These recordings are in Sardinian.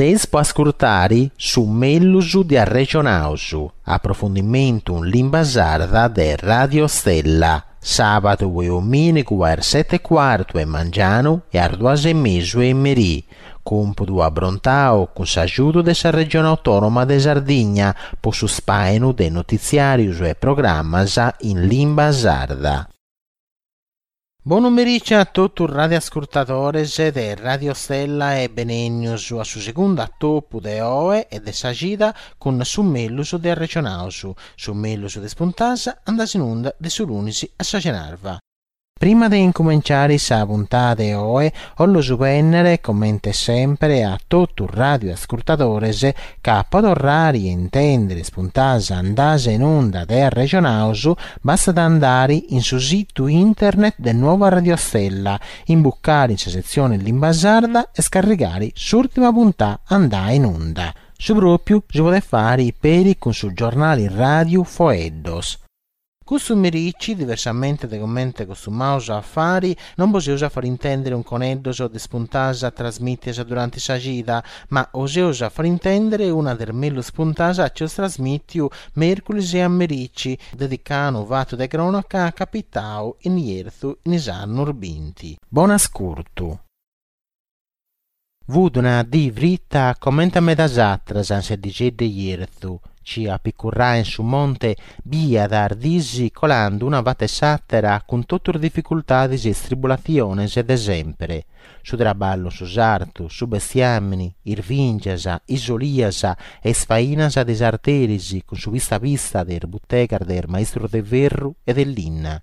Seis po ascurtari su mellus de Arrexonaus, aprofundimentu in limba sarda de Radio Stella, sàbadu e omìnigu a is seti e cuartu 'e mangianu e a is duas e mesu 'e merì, còmpudu abrontau cun s'agiudu de sa Regione Autònoma de Sardigna po su spàinu de notitziàrius e programmas in limba sarda. Bonu merici a totu is radioascurtadores de Radio Stella e benènnius a su segundu atopu de oe e de sa cida cun su mellus de Arrexonaus, su mellus de is puntas andas in unda de su lunis a sa cenarva. Prima de incumenciare sa puntada 'e oe, 'ollu bennere, comente sempre, a totu is radioascurtadores ca po torrare a intendere is puntas andas in unda de Arrexonaus bastat andare in su situ internet de Nuova Radio Stella, imbucare in sa setzione limba sarda e scarrigare s'ùrtima puntà andà in unda. Su pròpiu si podet fare peri cun su giornale ràdiu Foeddos. Custu merici, diversamente de comente costumaus a fari, non bos eus a fari intèndere unconeddos de is puntas trasmìtias durante sa cida, ma 'os eus a fari intèndere una de is mellus puntas chi eus trasmìtiu mèrculis a merici, dedicà a unu fatu de crònaca capitau in Jerzu in is annus binti. Bon'ascurtu. Fut una dì frita comente a medas atras in sa 'iddigedda 'e Jerzu, chi a picurrai in su monte biiat is dis colando una fata 'e s'àtera cun totu is dificultades e is tribulatziones de sèmpere, su traballu in su sartu, su bestiàmini, is bìngias, is olias e is fainas de is arteris cun su pista pista de is butegas de is maistros de ferru e de linna.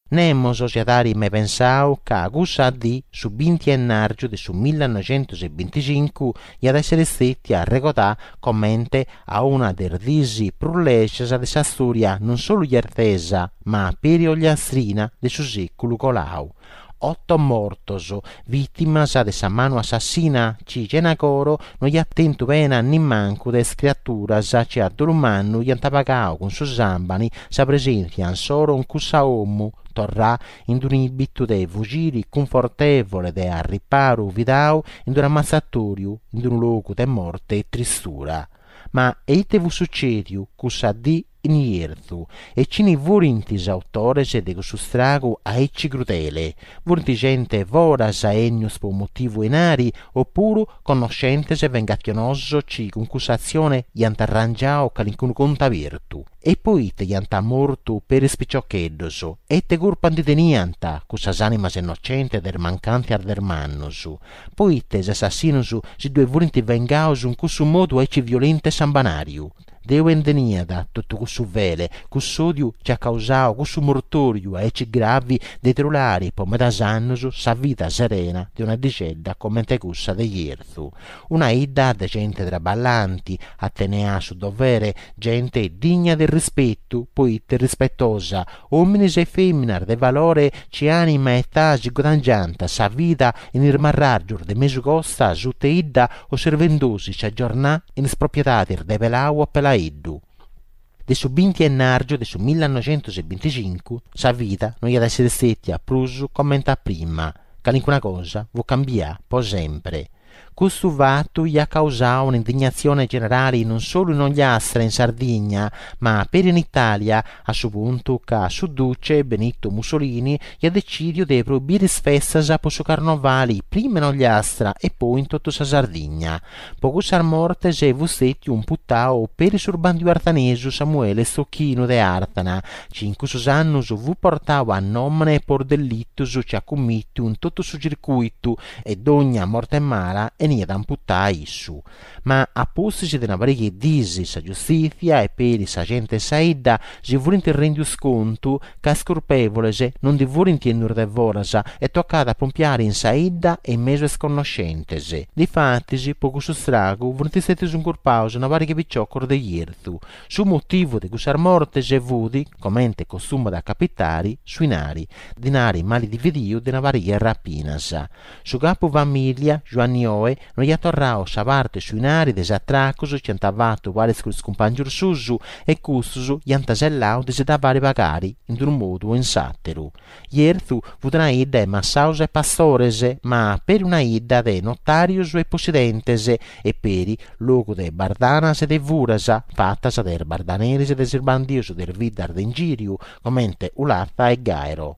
Nemos s'iat àiri mai pensau ca cussa dì, su binti 'ennàrgiu de su millanoixentus e binticincu, iat èssere stètia arregodà comente a una de is dis prus lègias de sa stòria non solu jertesa, ma peri ogliastrina de su sèculu colau. Oto mortos, vìtimas de sa manu assassina chi chena coro no iat tentu pena nimancu de is criaturas chi a dolu mannu iant pagau cun su sàmbani sa presèntzia insoro in cussa 'omu, torrà in d'un'ìbitu de fugiri cunfortèvole de arriparu fidau in d'un'ammatzatòriu, in d'unu logu de morte e tristura. Ma e ite fut sucèdiu cussa dì in Jerzu, e chini furint is autores de cussu stragu aici crudele? Furint gente 'e foras 'ennius po motivu 'e 'inari, opuru connoschentes vengatzionosos chi cun cussa atzione iant arrangiau calincunu contu abertu? E poite iant mortu peri is piciocheddos? E ite curpa ndi teniant cussas animas innocentes de is mancantzias de is mannos? Poite is assassinos si ddue furint vengaos in cussu modu aici violentu e sambanariu? De ue nd'eniat totu cussu fele, cuss'òdiu chi at causau cussu mortòriu aici gravi de trulare po medas annos sa vida serena de una 'iddixedda comente cussa de Jerzu? Una 'idda de gente traballanti, atenea a su dovere, gente digna de rispetu, poite rispetosa, òmines e fèminas de valore chi ànima e età si guadangiant sa vida in is marràrgios de mesu costa sut'e 'idda osservendosi sa giornà in is propiedades de Pelau o Pelaeddu. De su binti 'ennàrgiu de su millanoixentus e binticincu sa vida no iat èssere stètia prus comente a prima, calincuna cosa fut cambià po sempre. Custu fatu iat causau un'indignatzione generale non solu in Ogliastra e in Sardigna, ma peri in Itàlia, a su puntu ca su duce Benito Mussolini iat decìdiu de proibiri is festas po su carnovali prima in Ogliastra e poi in totu sa Sardigna. Po cussas mortes fut stètiu imputau peri su bandiu arthanesu Samuele Stocchinu de Àrthana, chi in cussus annus fut portau a nòmene po is dellitus chi at cummìtiu in totu su circùitu e dogna morte mala 'eniat imputà a issu. Ma a pustis de una pariga 'e dis sa giustìtzia e peri sa gente 'e sa 'idda si furint rendius contu ca is curpèvoles non ndi furint 'ennius de foras e tocàt a pompiare in sa 'idda e in mesu a is connoschentes. Difatis po cussu stragu furint stètius incurpaus una pariga 'e piciocos de Jerzu. Su motivu de cussas mortes fut, comente costumat a capitare, su 'inari, dinari mali dividiu de una pariga 'e rapinas. Su capu famìlia, Giuanni Oe. no iat torrau sa parte 'e su 'inari de is atracus chi iant fatu paris cun is cumpàngius suus e custus iant sellau de si dda fari pagari in d'unu modu o in s'àteru. Jerzu fut una 'idda 'e massaus e pastores, ma peri una 'idda de notàrios e possidentes e peri logu de bardanas e de furas fatas de is bardaneris e de is bandius de is biddas de ingìriu, comente Ulatha e Gairo.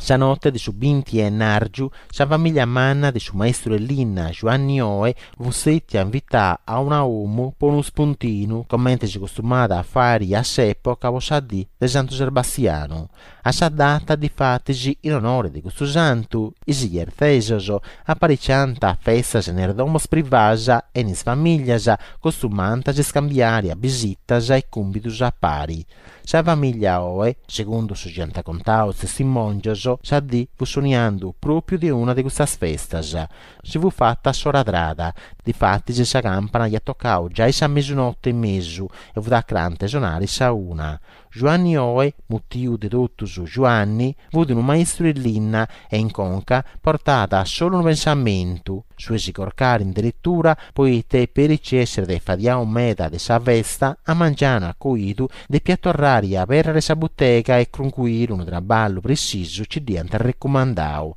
Sa note de su binti 'e 'ennàrgiu, sa famìllia manna de su maistru 'e linna Giuanni Oe fut stètia invità a una 'omu po unu spuntinu, comente si costumàt a fàiri a s'època po sa dì de Santu Serbastianu. A sa data, difatis, in onore de custu santu, is jerzesos apariciànt festas in is domos privàs e in is famìllias costumànt a s'iscambiari abisitas e cumbidus a pari. Sa famìllia Oe, segundu su chi ant contau is testimòngios, sa dì fut soniandu pròpiu de una de custas festas. Si fut fata s'ora trada, difatis sa campana iat tocau giai sa mesunote e mesu e fut acrante sonare sa una. Giuanni Oe, mutiu de totus Giuanni, fut unu maistru 'e linna e in conca portàt solu unu pensamentu, su 'e si corcare in deretura poite peri chi esseret fadiau meda de sa festa, a mangianu a coidu depiat torrare a aberrere sa butega e cruncuire unu traballu pretzisu chi dd'iant recumandau.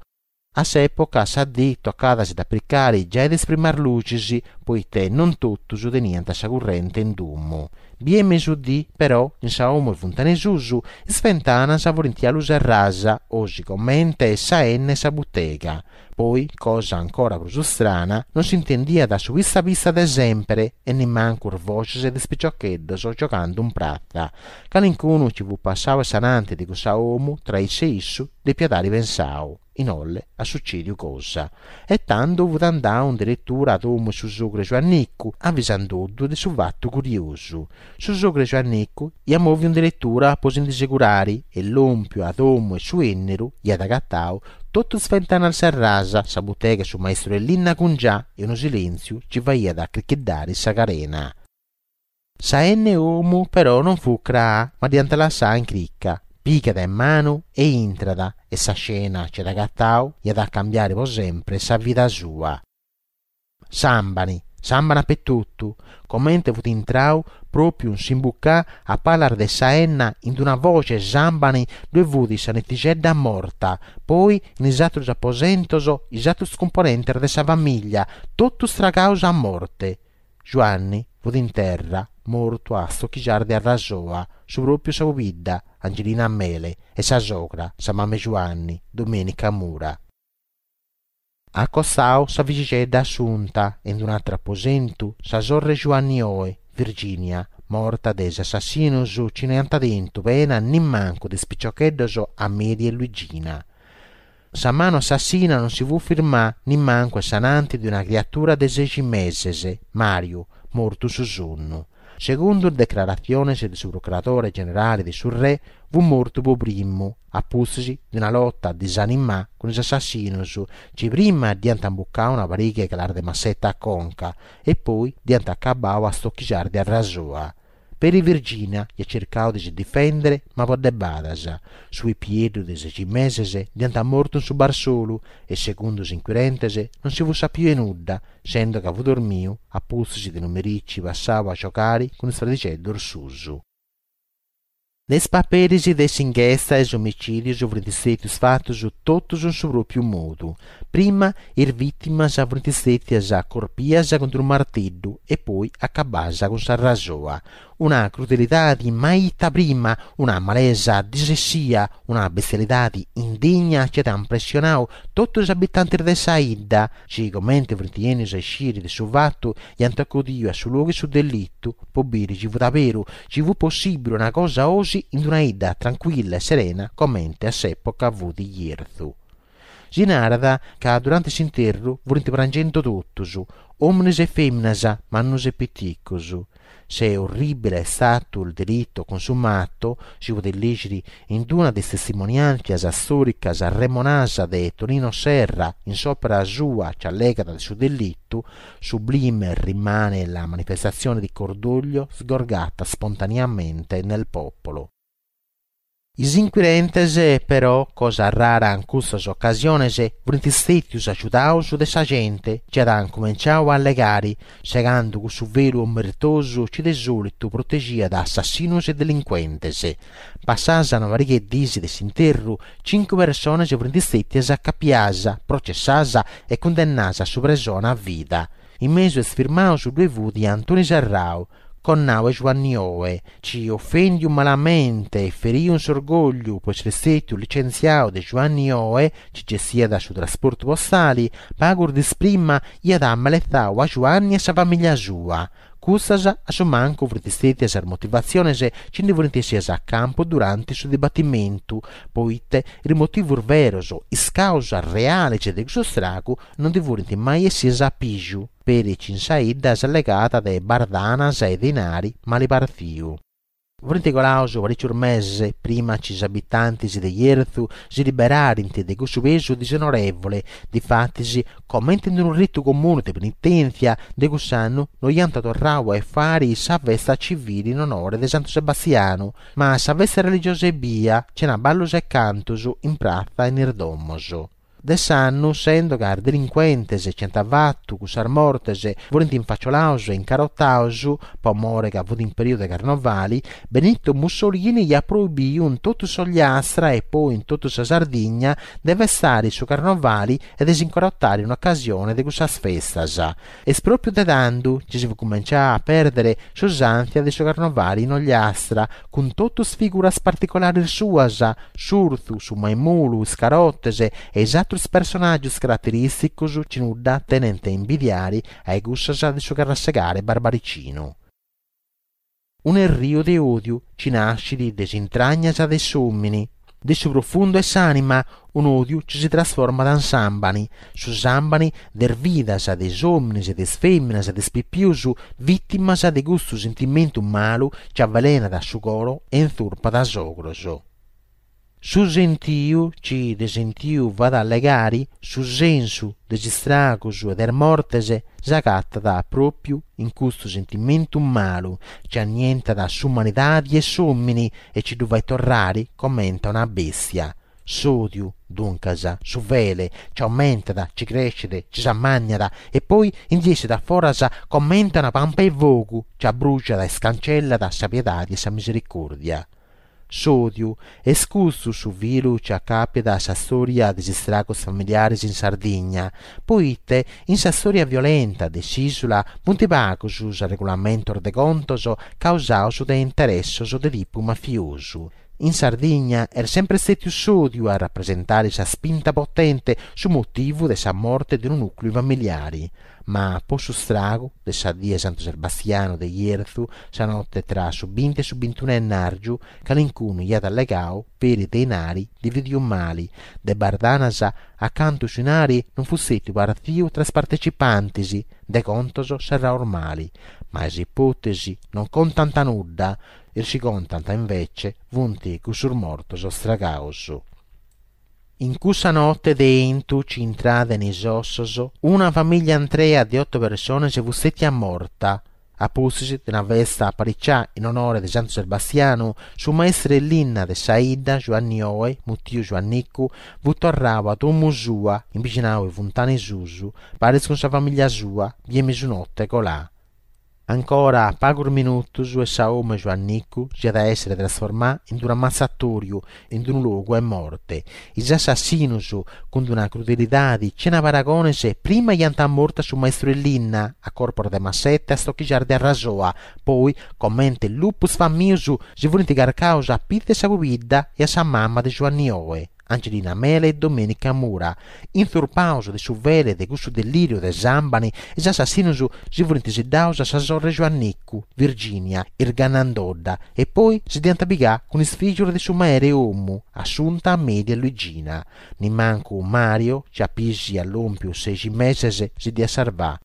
A s'època sa dì tocàt a si dd'apricare giai de is primas luxis, poite non totus teniant sa currente in domu. Bia 'e mesudì, però, in sa 'omu 'e Funtanesusu, is fentanas furint galu serràs, osi comente sa 'enna 'e sa butega. Poi, cosa ancora prus strana, non s'intendiat su pista pista de sempere e nimancu is boxes de is piciocheddos giogando in pratza. Calincunu chi fut passau a s'ananti de cussa 'omu, tra issu e issu, depiat àere pensau, in Olle at sucediu cosa. E tando fut andau in deretura a domu 'e su sogru 'e Giuannicu, avisandoddu de su fatu curiosu. Su sogru 'e Giuannicu iat moviu in deretura po si ndi segurare e lompiu a domu 'e su 'enneru iat agatau totu is fentanas serràs, sa butega 'e su maistru 'e linna cungià e unu silentziu chi faiat acrichiddare sa carena. Sa 'enna 'e 'omu però non fut craa, ma dd'iant lassà in crica. Pigat 'e manu e intrat e sa scena chi at agatau iat a cambiare po sempre sa vida sua. Sàmbani, sàmbani apetotu, comente fut intrau, pròpiu in s'imbucà, a palas de sa 'enna, in d'una foge 'e sàmbani ddue fut sa netixedda morta, poi in is atrus aposentos is atrus cumponentes de sa famìllia, totus tragaus a morte. Giuanni fut in terra, mortu a stochigias de arrasoa, su pròpiu sa pobidda, Angelina Mele, e sa sogra, sa mama 'e Giuanni, Domenica Mura. A costau sa figixedda Assunta e in d'un'atru aposentu sa sorre 'e Giuanni Oe, Virginia, morta de is assassinos chi no iant tentu pena nimancu de is piciocheddos Amelia e Luigina. Sa manu assassina non si fut firmà nimancu a s'ananti de una criatura de sexi meses, Mariu, mortu in su sonnu. Segundu is decraratziones de su procuradore generale de su Re, fut mortu po primu, a pustis de una lota disanimà cun is assassinos chi prima dd'iant imbucau una pariga 'e calas de masseta a conca e poi dd'iant acabau a stochigias de arrasoa. Peri Virginia iat circau de si difèndere ma po debadas. Su pipieddu de sexi meses dd'iant mortu in su barsolu e segundu is inquirentes non si fut sapiu 'e nudda, sendo ca fut dormiu a pustis de unu merici passau a giogare cun is fradixeddos suus. De is paperis de s'inghesta is omicìdios furint stètius fatus totus in su pròpiu modu. Prima is vìtimas furint stètias corpias cun unu marteddu e poi acabadas cun s'arrasoa. Una crudelidadi mai 'ita prima, una malesa disessia, una bestialidadi indigna chi at impressionau totu is abitantis de sa 'idda, chi comente furint 'enius a isciri de su fatu iant acudiu a su logu 'e su delittu po biri chi fut aberu, chi fut possibili una cosa 'osi in d'una 'idda tranquilla e serena comente a s'epoca fut Jerzu. Si narat ca durante s'interru furint prangendo totus, omines e feminas, mannus e piticus. Se orribile è stato il delitto consumato, si podit lìgiri in d'una de is testimoniàntzias stòricas arremonadas de Tonino Serra in s'òpera sua chi allegat de su delittu, sublime rimane la manifestazione di cordoglio sgorgata spontaneamente nel popolo. Is inquirentes, però, cosa rara in custas ocasiones, furint stètius agiudaus de sa gente chi at incumenciau a allegari, segando cussu velu omertosu chi de sòlitu protegiat assassinos e delincuentes. Passadas una pariga 'e dis de s'interru, cincu persones furint stètias acapias, processadas e cundennadas a su presone a vida. In mesu a is firmaus ddue fut Antoni Serrau, connau 'e Giuanni Oe, chi ofendiu malamente e feriu in s'orgogliu po essiri stetiu licentziau de Giuanni Oe, chi gestiat su trasportu postali, pagus dis prima iat ameletzau a Giuanni e a sa famiglia sua. Custas a su mancu furint stetias is motivatziones chi ndi furint essias a campu duranti su dibatimentu, poite is motivus veros, is causas reales de cussu stragu non ndi furint mai essias a pìgiu. Peri chi in sa 'idda s'allegàt de bardanas e dinari mali partziu. Furint colaus paricius meses prima chi is abitantis de Jerzu si liberarint de cussu pesu disonorevole, difatis, comente in unu ritu comunu de penitèntzia, de cuss'annu no iant torrau a fari sa festa civili in onore de Santu Sebastianu, ma sa festa religiosa ebbia, chena ballus e cantus in pratza e in is domos. De s'annu, sendo ca is delincuentes chi ant fatu cussas mortes furint infaciolaus e incarotaus, po more ca fut in periodu de carnovali, Benito Mussolini iat proibiu in totu s'Ogliastra e poi in totu sa Sardigna de festare su carnovali e de s'incarotare in ocasione de cussas festas. Est pròpiu de tando chi si fut cumencià a pèrdere s'usàntzia de su carnovali in Ogliastra, cun totu is figuras particolares suas, s'urthu, su maimulu, is carotes e is àterus personàgios caraterìsticos chi nudda tenent a imbidiare a cussas de su carrasegare barbaricinu. Un'erriu de òdiu chi nascit de is intragnas de s'òmini, de su profundu 'e s'ànima, un'òdiu chi si trasformat in sàmbani, su sàmbani de is vidas de is òminis, de is fèminas, de is pipius, vìtimas de custu sentimentu malu chi avelenat su coro e intzurpat is ogros. Su sentiu, chi de sentiu fait allegari, su sensu de is istragus e de is mortes, s'agatat pròpiu in custu sentimentu malu chi annientat s'umanidadi e s'òmini e chi ddu fait torrari comente a una bèstia. S'òdiu, duncas, su fele, chi aumentat, chi crescet, chi s'ammànniat e poi ndi essit a foras comente a una pampa 'e fogu chi abbruxat e scancellat sa piedadi e sa misericòrdia. S'òdiu, est custu su filu chi acàpiat sa stòria de is istragos familiares in Sardigna, poite in sa stòria violenta de s'ìsula funt pagus is arregulamentos de contos causados de interessos de tipu mafiosu. In Sardigna est semper stètiu s'òdiu a rapresentare sa spinta potente, su motivu de sa morte de unu nùcleu familiare. Ma po su stragu de sa die 'e Santu Sebastianu de Jerzu, sa note tra su binti e su bintunu 'e ennàrgiu, calincunu iat allegau peri de 'inari dividiu mali, de bardanas a cantu su 'inari non fut stètiu partziu tra is partecipantis, de contos serraus mali. Ma is ipòtesi non contant nudda, Is chi contant, invece, funt cussus mortos stragaus. In cussa note de 'entu chi intrat in is ossos, una famiglia intrea de oto persones fut stètia morta. A pustis de una festa aparicià in onore de Santu Sebastianu, su maistru 'e linna de sa 'idda, Giuanni Oe, mutiu Giuannicu, fut torrau a domu sua, in bixinau 'e Funtana 'e Susu, paris cun sa famiglia sua, bie mesunote colà. Ancora pagus minutus e sa 'omu 'e Giuannicu s'iat a èssere trasformà in unu ammatzatòriu, in unu logu 'e morte. Is assassinus, cun una crudelidadi chena paragones, prima iant mortu a su maistru 'e linna, a corpos de masseta e a stochixas de arrasoa, poi, comente lupus famius, si furint carcaus a pitzu 'e sa pubidda e a sa mama de Giuanni Oe. Angelina Mele e Domenica Mura. Intzurpaus de su fele de cussu dellìriu de sàmbani, is assassinus si furint siddaus a sa sorre 'e Giuannicu, Virginia, irgannandodda, e poi si dd'iant pigà cun is fìgius de su mere 'e 'omu, Assunta, Amelia e Luigina. Nimancu Mario, chi a pisi iat lòmpiu sexi meses, si dd'iat sarvà.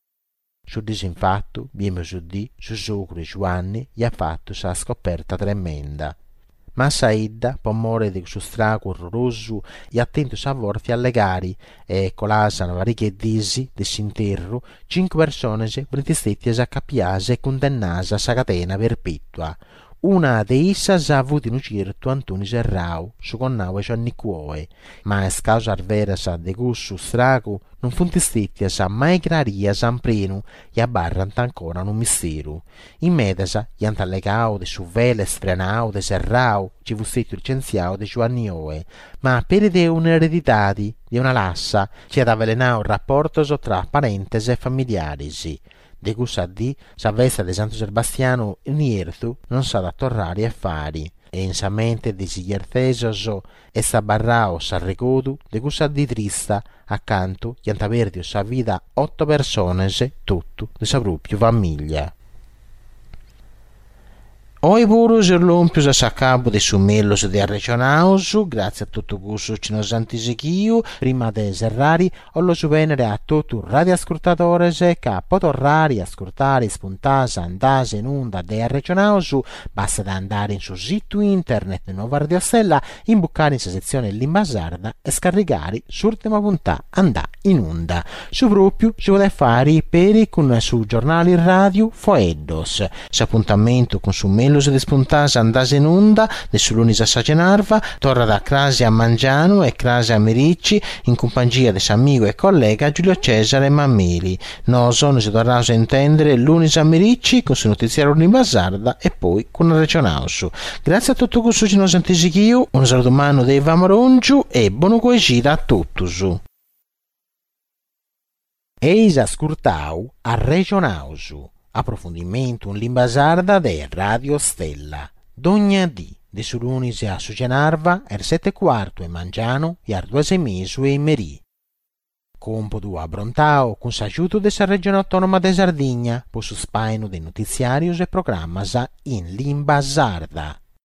Su dì infatu, bie mesudì, su sogru 'e Giuanni iat fatu sa scoperta tremenda. Ma sa 'idda, po more de cussu stragu orrorosu, iat tentu sa fortza 'e allegari e, colàs una pariga 'e dis de s'interru, cincu persones furint stètias acapiàs e cundennadas a sa cadena perpètua. Una de issas fut unu certu Antoni Serrau, su connau 'e Giuannicu Oe. Ma is causas veras de cussu stragu non funt stètias mai crarias in prenu e abarrant ancora unu misteru. In medas iant allegau de su fele sfrenau de Serrau chi fut stètiu licentziau de Giuanni Oe, ma peri de un'eredidadi, de una lassa, chi at avelenau raportos tra parentes e familiaris. De cussa dì sa festa de Santu Sebastianu in Jerzu non s'at a torrari a fari e in sa mente de is jerzesos est abarrau s'arregodu de cussa dì trista acantu iant pèrdiu sa vida oto persones totu de sa pròpiu famìllia. Oi puru seus lòmpius a s'acabu de su mellus de Arrexonaus, gràtzias a totu cussus chi nos ant sighiu, prima de serrari 'ollu bènnere a totu is radioascurtadores ca po torrari a ascurtare is puntas andadas in unda de Arrexonaus bastat a andare in su situ internet de Nuova Radio Stella, imbucare in sa setzione Limba Sarda e scarrigare s'ùrtima puntà andà in unda. Su pròpiu si podet fàere peri cun su giornale ràdiu Foeddos. S'apuntamentu cun su mellus de is puntas andadas in unda, de su lunis a sa cenarva, torrat crasi a mangianu e crasi a merici in cumpangia de s'amigu e collega Giulio Cesare Mameli. Noso nos torraus a intèndere lunis a merici cun su notitziàriu in limba sarda e poi cun Arrexonaus. Gràtzias a totu cussus chi nos ant sighiu, unu saludu mannu de Ivan Morongiu e bonu coixida a totus. Eis ascurtau Arrexonaus, aprofundimentu in limba sarda de Radio Stella. Dogna dì, de su lunis a su cenarva, a is seti e cuartu 'e mangianu e a is duas e mesu 'e merì. Còmpudu abrontau cun s'agiudu de sa Regione Autònoma de Sardigna po su spàinu de notitziàrios e programmas in limba sarda.